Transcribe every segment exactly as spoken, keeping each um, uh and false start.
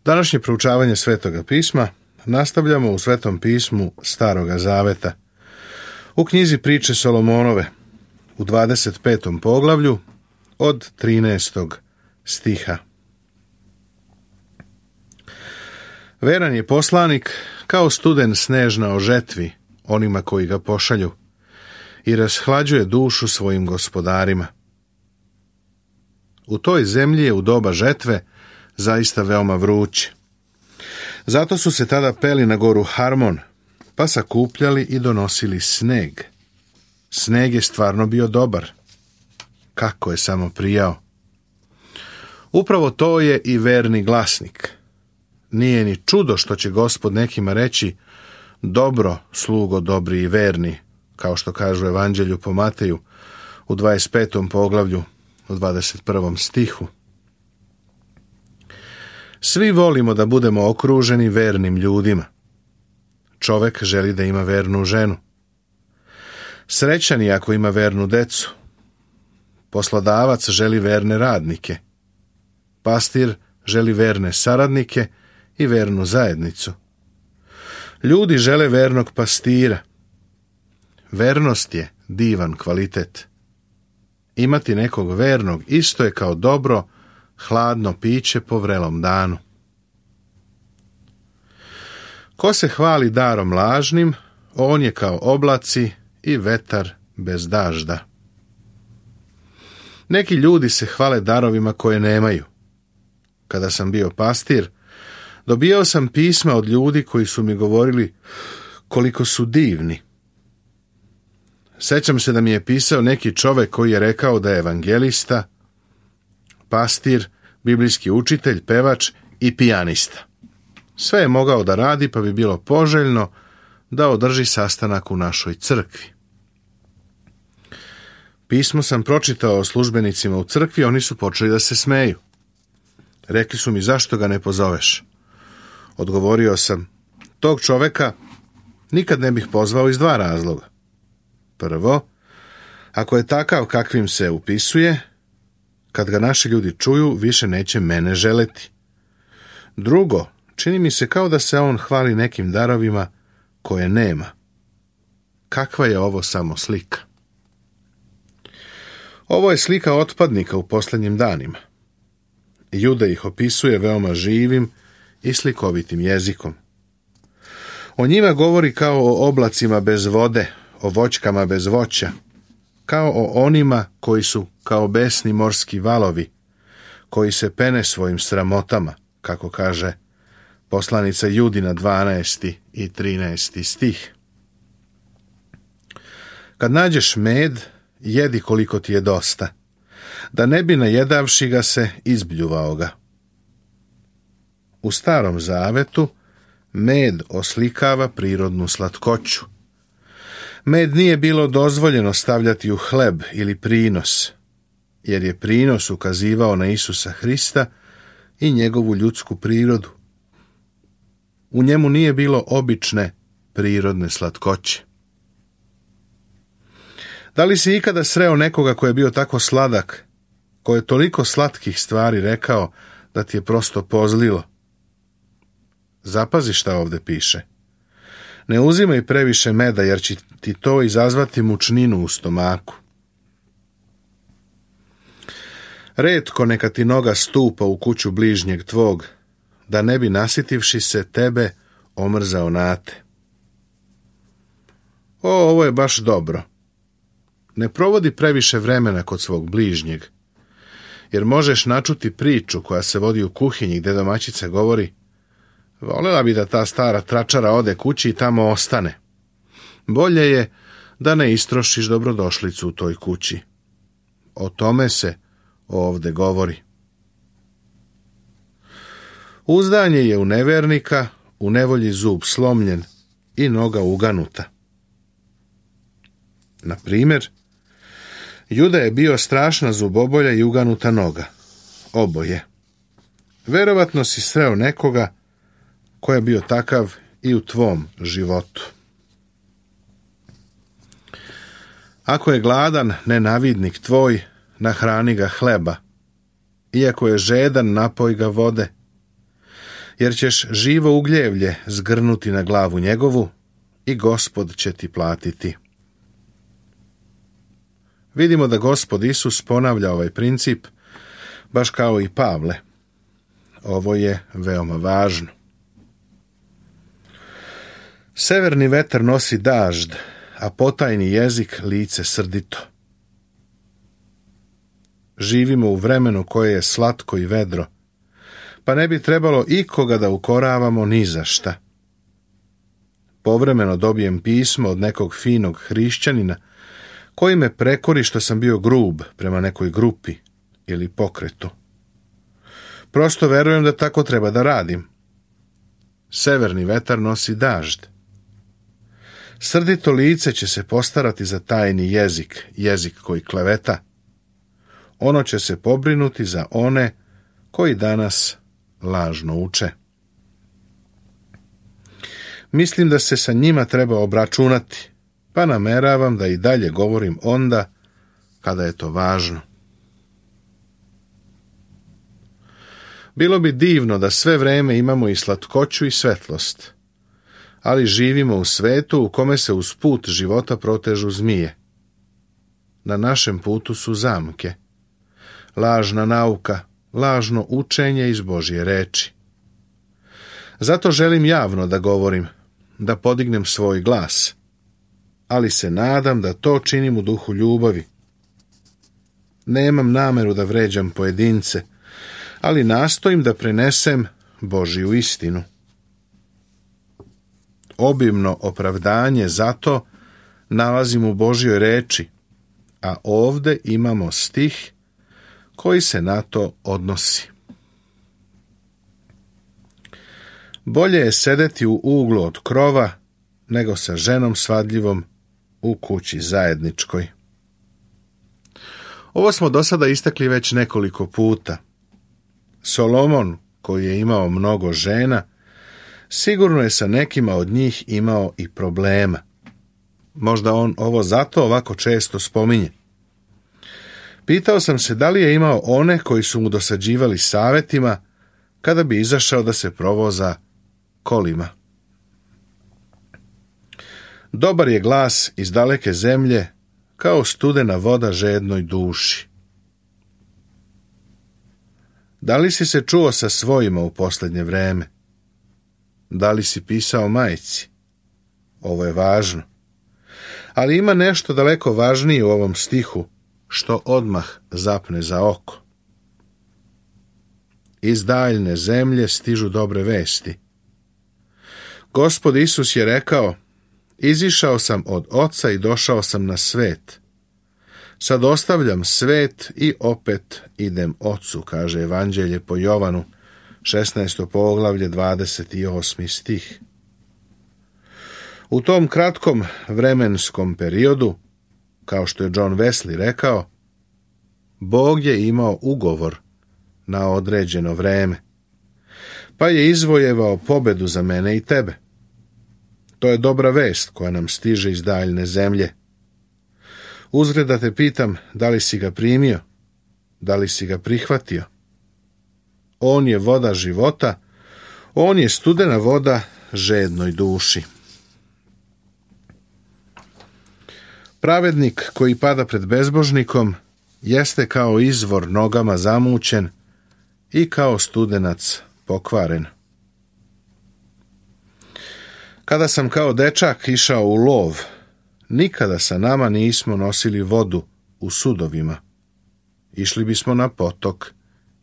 Današnje proučavanje Svetoga pisma nastavljamo u Svetom pismu Staroga zaveta. U knjizi Priče Solomonove, u dvadeset petom poglavlju, od trinaestog stiha. Veran je poslanik kao studen snežna o žetvi onima koji ga pošalju i rashlađuje dušu svojim gospodarima. U toj zemlji je u doba žetve zaista veoma vruće. Zato su se tada peli na goru Harmon, pa sakupljali i donosili sneg. Sneg je stvarno bio dobar. Kako je samo prijao. Upravo to je i verni glasnik. Nije ni čudo što će Gospod nekima reći: dobro, slugo dobri i verni, kao što kažu u Evanđelju po Mateju u dvadeset petom poglavlju u dvadeset prvom stihu. Svi volimo da budemo okruženi vernim ljudima. Čovek želi da ima vernu ženu. Srećan je ako ima vernu decu. Poslodavac želi verne radnike. Pastir želi verne saradnike i vernu zajednicu. Ljudi žele vernog pastira. Vernost je divan kvalitet. Imati nekog vernog isto je kao dobro, hladno piće po vrelom danu. Ko se hvali darom lažnim, on je kao oblaci i vetar bez dažda. Neki ljudi se hvale darovima koje nemaju. Kada sam bio pastir, dobijao sam pisma od ljudi koji su mi govorili koliko su divni. Sećam se da mi je pisao neki čovek koji je rekao da je evangelista, pastir, biblijski učitelj, pevač i pijanista. Sve je mogao da radi, pa bi bilo poželjno da održi sastanak u našoj crkvi. Pismo sam pročitao službenicima u crkvi, oni su počeli da se smeju. Rekli su mi: zašto ga ne pozoveš? Odgovorio sam: tog čoveka nikad ne bih pozvao iz dva razloga. Prvo, ako je takav kakvim se upisuje, kad ga naši ljudi čuju, više neće mene želeti. Drugo, čini mi se kao da se on hvali nekim darovima koje nema. Kakva je ovo samo slika? Ovo je slika otpadnika u posljednjim danima. Juda ih opisuje veoma živim i slikovitim jezikom. O njima govori kao o oblacima bez vode, o voćkama bez voća, kao o onima koji su kao besni morski valovi, koji se pene svojim sramotama, kako kaže poslanica Judina dvanaesti i trinaesti stih. Kad nađeš med, jedi koliko ti je dosta, da ne bi najedavši ga se izbljuvao ga. U Starom zavetu med oslikava prirodnu slatkoću. Med nije bilo dozvoljeno stavljati u hleb ili prinos, jer je prinos ukazivao na Isusa Hrista i njegovu ljudsku prirodu. U njemu nije bilo obične prirodne slatkoće. Da li si ikada sreo nekoga ko je bio tako sladak, ko je toliko slatkih stvari rekao da ti je prosto pozlilo? Zapazi šta ovde piše. Ne uzimaj previše meda, jer će ti to izazvati mučninu u stomaku. Retko neka ti noga stupa u kuću bližnjeg tvog, da ne bi nasitivši se tebe omrzao nate. O, ovo je baš dobro. Ne provodi previše vremena kod svog bližnjeg, jer možeš načuti priču koja se vodi u kuhinji gde domaćica govori: volela bi da ta stara tračara ode kući i tamo ostane. Bolje je da ne istrošiš dobrodošlicu u toj kući. O tome se ovde govori. Uzdanje je u nevernika, u nevolji zub slomljen i noga uganuta. Na primjer, Juda je bio strašna zubobolja i uganuta noga. Oboje. Verovatno si sreo nekoga ko je bio takav i u tvom životu. Ako je gladan nenavidnik tvoj, nahrani ga hleba. Iako je žedan, napoj ga vode. jer ćeš živo ugljevlje zgrnuti na glavu njegovu i Gospod će ti platiti. Vidimo da Gospod Isus ponavlja ovaj princip, baš kao i Pavle. Ovo je veoma važno. Severni vetar nosi dažd, a potajni jezik lice srdito. Živimo u vremenu koje je slatko i vedro, pa ne bi trebalo ikoga da ukoravamo ni za šta. Povremeno dobijem pismo od nekog finog hrišćanina koji me prekori što sam bio grub prema nekoj grupi ili pokretu. Prosto verujem da tako treba da radim. Severni vetar nosi dažd. Srdito lice će se postarati za tajni jezik, jezik koji kleveta. Ono će se pobrinuti za one koji danas lažno uče. Mislim da se sa njima treba obračunati, pa nameravam da i dalje govorim onda kada je to važno. Bilo bi divno da sve vreme imamo i slatkoću i svetlost, ali živimo u svetu u kome se uz put života protežu zmije. Na našem putu su zamke, lažna nauka, lažno učenje iz Božje reči. Zato želim javno da govorim, da podignem svoj glas, ali se nadam da to činim u duhu ljubavi. Nemam nameru da vređam pojedince, ali nastojim da prenesem Božju istinu. Obimno opravdanje za to nalazim u Božjoj reči, a ovde imamo stih koji se na to odnosi. Bolje je sedeti u uglu od krova, nego sa ženom svadljivom u kući zajedničkoj. Ovo smo do sada istakli već nekoliko puta. Solomon, koji je imao mnogo žena, sigurno je sa nekima od njih imao i problema. Možda on ovo zato ovako često spominje. Pitao sam se da li je imao one koji su mu dosađivali savetima kada bi izašao da se provoza kolima. Dobar je glas iz daleke zemlje, kao studena voda žednoj duši. Da li si se čuo sa svojima u posljednje vreme? Da li si pisao majci? Ovo je važno. Ali ima nešto daleko važnije u ovom stihu, što odmah zapne za oko. Iz daljne zemlje stižu dobre vesti. Gospod Isus je rekao, izišao sam od Oca i došao sam na svet. Sad ostavljam svet i opet idem Ocu, kaže Evanđelje po Jovanu, šesnaesto poglavlje, dvadeset osmi stih. U tom kratkom vremenskom periodu, kao što je John Wesley rekao, Bog je imao ugovor na određeno vreme, pa je izvojevao pobedu za mene i tebe. To je dobra vest koja nam stiže iz daljne zemlje. Uzgred da te pitam, da li si ga primio, da li si ga prihvatio. On je voda života, on je studena voda žednoj duši. Pravednik koji pada pred bezbožnikom jeste kao izvor nogama zamućen i kao studenac pokvaren. Kada sam kao dečak išao u lov, nikada sa nama nismo nosili vodu u sudovima. Išli bismo na potok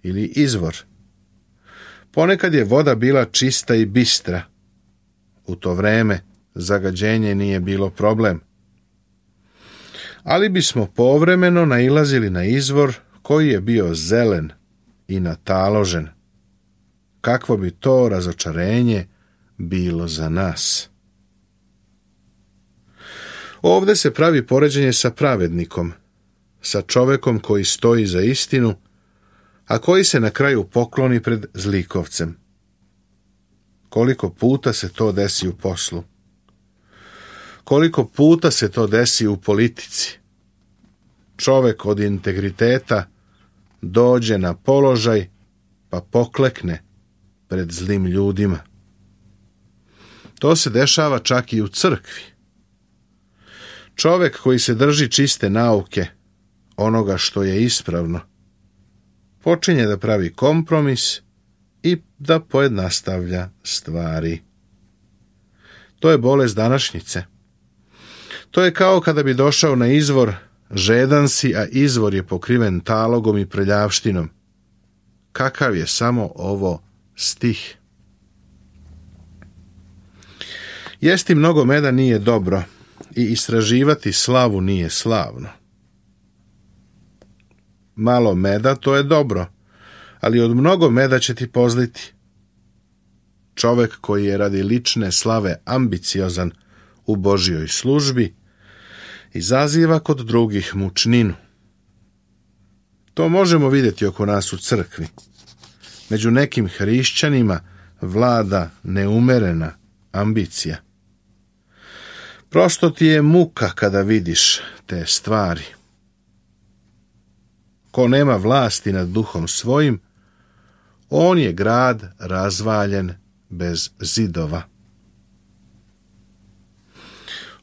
ili izvor. Ponekad je voda bila čista i bistra. U to vreme zagađenje nije bilo problem. Ali bismo povremeno nailazili na izvor koji je bio zelen i nataložen. Kakvo bi to razočarenje bilo za nas. Ovde se pravi poređenje sa pravednikom, sa čovekom koji stoji za istinu, a koji se na kraju pokloni pred zlikovcem. Koliko puta se to desi u poslu? Koliko puta se to desi u politici? Čovek od integriteta dođe na položaj pa poklekne pred zlim ljudima. To se dešava čak i u crkvi. Čovjek koji se drži čiste nauke, onoga što je ispravno, počinje da pravi kompromis i da pojednostavlja stvari. To je bolest današnjice. To je kao kada bi došao na izvor, žedan si, a izvor je pokriven talogom i prljavštinom. Kakav je samo ovo stih? Jesti mnogo meda nije dobro i istraživati slavu nije slavno. Malo meda to je dobro, ali od mnogo meda će ti pozliti. Čovjek koji je radi lične slave ambiciozan u Božjoj službi izaziva kod drugih mučninu. To možemo vidjeti oko nas u crkvi. Među nekim hrišćanima vlada neumerena ambicija. Prosto ti je muka kada vidiš te stvari. Ko nema vlasti nad duhom svojim, on je grad razvaljen bez zidova.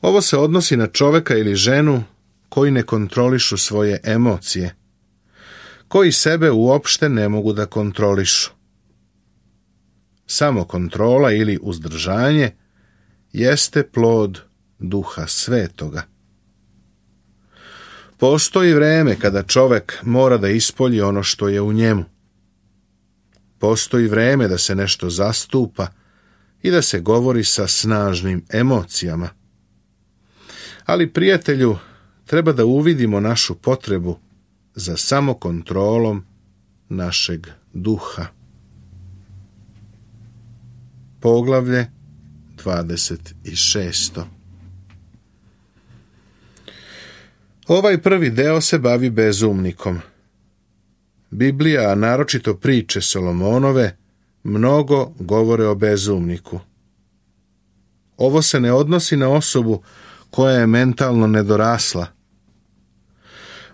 Ovo se odnosi na čovjeka ili ženu koji ne kontrolišu svoje emocije, koji sebe uopšte ne mogu da kontrolišu. Samo kontrola ili uzdržanje jeste plod Duha Svetoga. Postoji vreme kada čovjek mora da ispolji ono što je u njemu. Postoji vreme da se nešto zastupa i da se govori sa snažnim emocijama. Ali, prijatelju, treba da uvidimo našu potrebu za samokontrolom našeg duha. Poglavlje dvadeset šest. Ovaj prvi deo se bavi bezumnikom. Biblija, a naročito priče Solomonove, mnogo govore o bezumniku. Ovo se ne odnosi na osobu koja je mentalno nedorasla.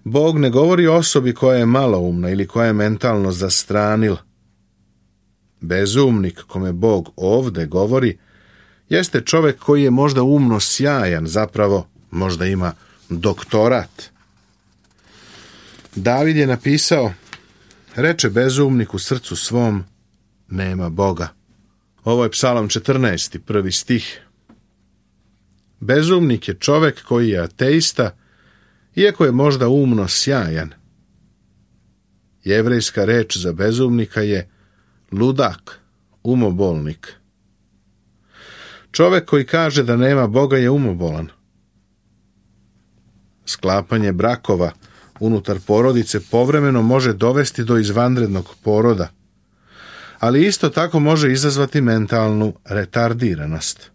Bog ne govori o osobi koja je maloumna ili koja je mentalno zastranila. Bezumnik, kome Bog ovde govori, jeste čovjek koji je možda umno sjajan, zapravo možda ima doktorat. David je napisao: reče bezumnik u srcu svom, nema Boga. Ovo je Psalam četrnaesti, prvi stih. Bezumnik je čovjek koji je ateista, iako je možda umno sjajan. Jevrejska reč za bezumnika je ludak, umobolnik. Čovjek koji kaže da nema Boga je umobolan. Sklapanje brakova unutar porodice povremeno može dovesti do izvanrednog poroda, ali isto tako može izazvati mentalnu retardiranost.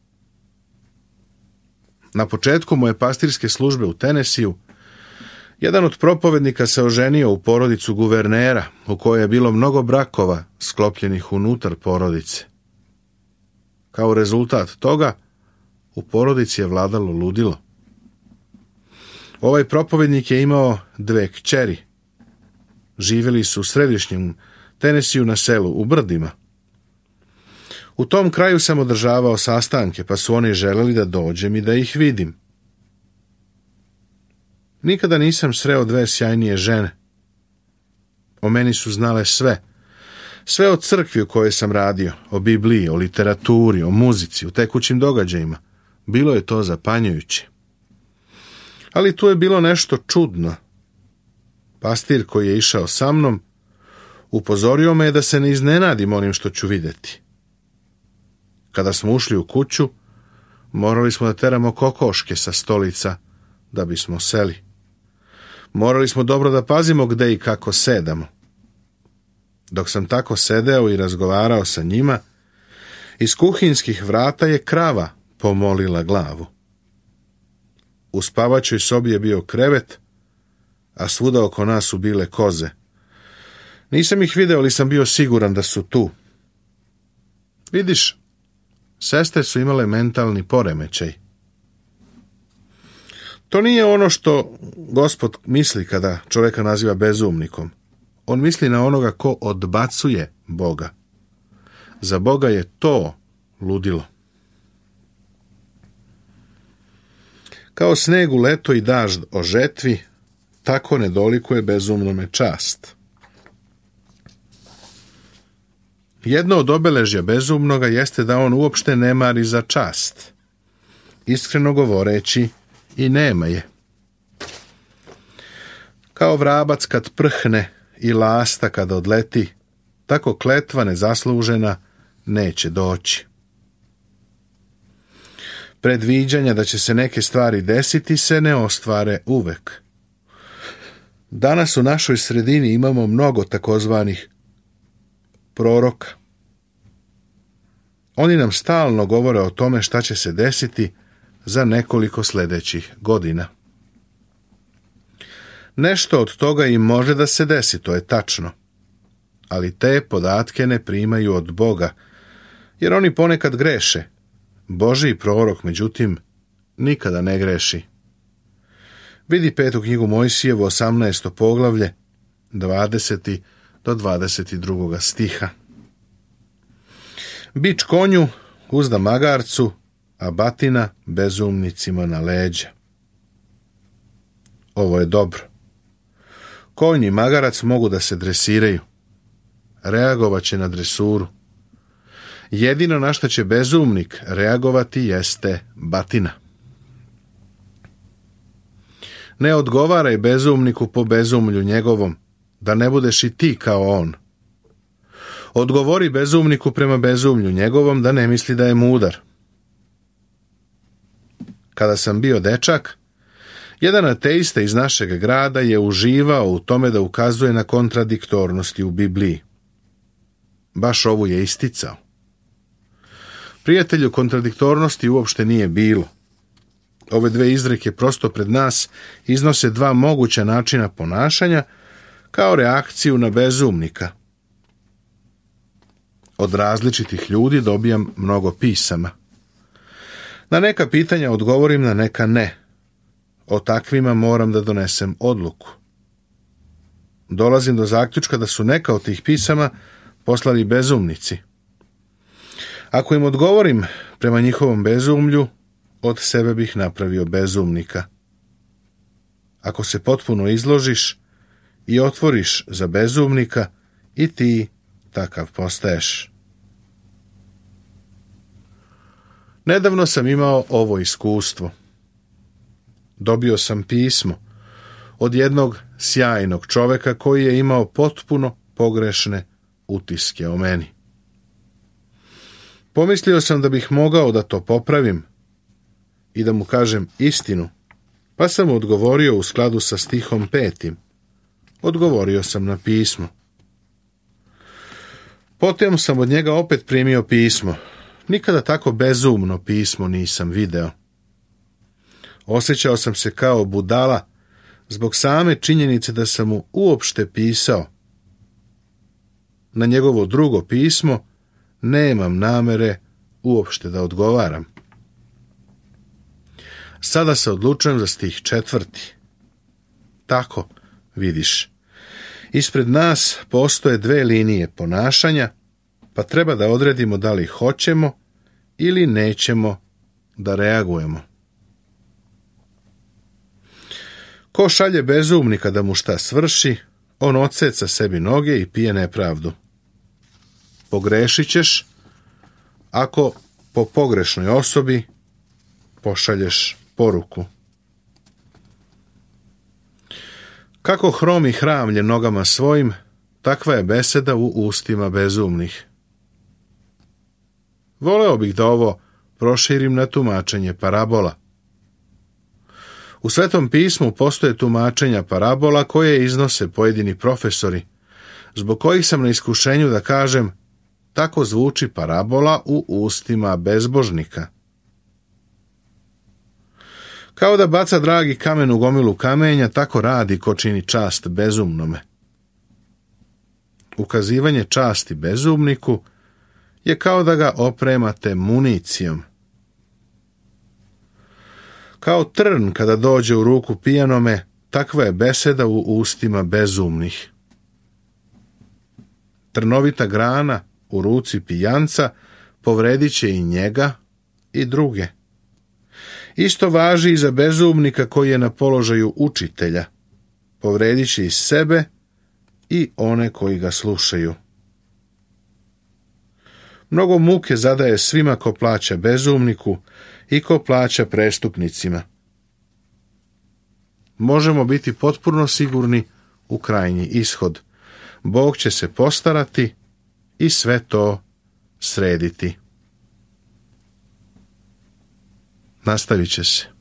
Na početku moje pastirske službe u Tenesiju, jedan od propovednika se oženio u porodicu guvernera, u kojoj je bilo mnogo brakova sklopljenih unutar porodice. Kao rezultat toga, u porodici je vladalo ludilo. Ovaj propovednik je imao dve kćeri. Živjeli su u središnjem Tenesiju na selu, u brdima. U tom kraju sam održavao sastanke, pa su oni želeli da dođem i da ih vidim. Nikada nisam sreo dve sjajnije žene. O meni su znale sve. Sve o crkvi u kojoj sam radio, o Bibliji, o literaturi, o muzici, o tekućim događajima. Bilo je to zapanjujuće. Ali tu je bilo nešto čudno. Pastir koji je išao sa mnom upozorio me da se ne iznenadim onim što ću vidjeti. Kada smo ušli u kuću, morali smo da teramo kokoške sa stolica da bismo seli. Morali smo dobro da pazimo gde i kako sedamo. Dok sam tako sedeo i razgovarao sa njima, iz kuhinskih vrata je krava pomolila glavu. U spavaćoj sobi je bio krevet, a svuda oko nas su bile koze. Nisam ih video, ali sam bio siguran da su tu. Vidiš, sestre su imale mentalni poremećaj. To nije ono što Gospod misli kada čovjeka naziva bezumnikom. On misli na onoga ko odbacuje Boga. Za Boga je to ludilo. Kao sneg u leto i dažd o žetvi, tako ne dolikuje bezumnome čast. Jedno od obeležja bezumnoga jeste da on uopšte ne mari za čast. Iskreno govoreći, i nema je. Kao vrabac kad prhne i lasta kada odleti, tako kletva nezaslužena neće doći. Predviđanja da će se neke stvari desiti se ne ostvare uvek. Danas u našoj sredini imamo mnogo takozvanih proroka. Oni nam stalno govore o tome šta će se desiti za nekoliko sljedećih godina. Nešto od toga im može da se desi, to je tačno. Ali te podatke ne primaju od Boga, jer oni ponekad greše. Božji prorok, međutim, nikada ne greši. Vidi petu knjigu Mojsijevu, osamnaesto poglavlje, dvadeseti do dvadeset drugoga stiha. Bič konju uzda magarcu, a batina bezumnicima na leđa. Ovo je dobro. Konj i magarac mogu da se dresiraju. Reagovat će na dresuru. Jedino na što će bezumnik reagovati jeste batina. Ne odgovaraj bezumniku po bezumlju njegovom, da ne budeš i ti kao on. Odgovori bezumniku prema bezumlju njegovom, da ne misli da je mudar. Kada sam bio dečak, jedan ateista iz našeg grada je uživao u tome da ukazuje na kontradiktornosti u Bibliji. Baš ovu je isticao. Prijatelju, kontradiktornosti uopšte nije bilo. Ove dve izreke prosto pred nas iznose dva moguća načina ponašanja kao reakciju na bezumnika. Od različitih ljudi dobijam mnogo pisama. Na neka pitanja odgovorim, na neka ne. O takvima moram da donesem odluku. Dolazim do zaključka da su neka od tih pisama poslali bezumnici. Ako im odgovorim prema njihovom bezumlju, od sebe bih napravio bezumnika. Ako se potpuno izložiš i otvoriš za bezumnika, i ti takav postaješ. Nedavno sam imao ovo iskustvo. Dobio sam pismo od jednog sjajnog čoveka koji je imao potpuno pogrešne utiske o meni. Pomislio sam da bih mogao da to popravim i da mu kažem istinu, pa sam mu odgovorio u skladu sa stihom petim. Odgovorio sam na pismo. Potom sam od njega opet primio pismo. Nikada tako bezumno pismo nisam video. Osjećao sam se kao budala zbog same činjenice da sam mu uopšte pisao. Na njegovo drugo pismo nemam namere uopšte da odgovaram. Sada se odlučujem za stih četvrti. Tako, vidiš, ispred nas postoje dve linije ponašanja, pa treba da odredimo da li hoćemo ili nećemo da reagujemo. Ko šalje bezumnika da mu šta svrši, on odseca sebi noge i pije nepravdu. Pogrešit ćeš ako po pogrešnoj osobi pošalješ poruku. Kako hromi hramlje nogama svojim, takva je beseda u ustima bezumnih. Voleo bih da ovo proširim na tumačenje parabola. U Svetom pismu postoje tumačenja parabola koje iznose pojedini profesori, zbog kojih sam na iskušenju da kažem tako zvuči parabola u ustima bezbožnika. Kao da baca dragi kamen u gomilu kamenja, tako radi ko čini čast bezumnome. Ukazivanje časti bezumniku je kao da ga opremate municijom. Kao trn kada dođe u ruku pijanome, takva je beseda u ustima bezumnih. Trnovita grana u ruci pijanca povredit će i njega i druge. Isto važi i za bezumnika koji je na položaju učitelja. Povredit će i sebe i one koji ga slušaju. Mnogo muke zadaje svima ko plaća bezumniku i ko plaća prestupnicima. Možemo biti potpuno sigurni u krajnji ishod. Bog će se postarati i sve to srediti. Nastavit će se.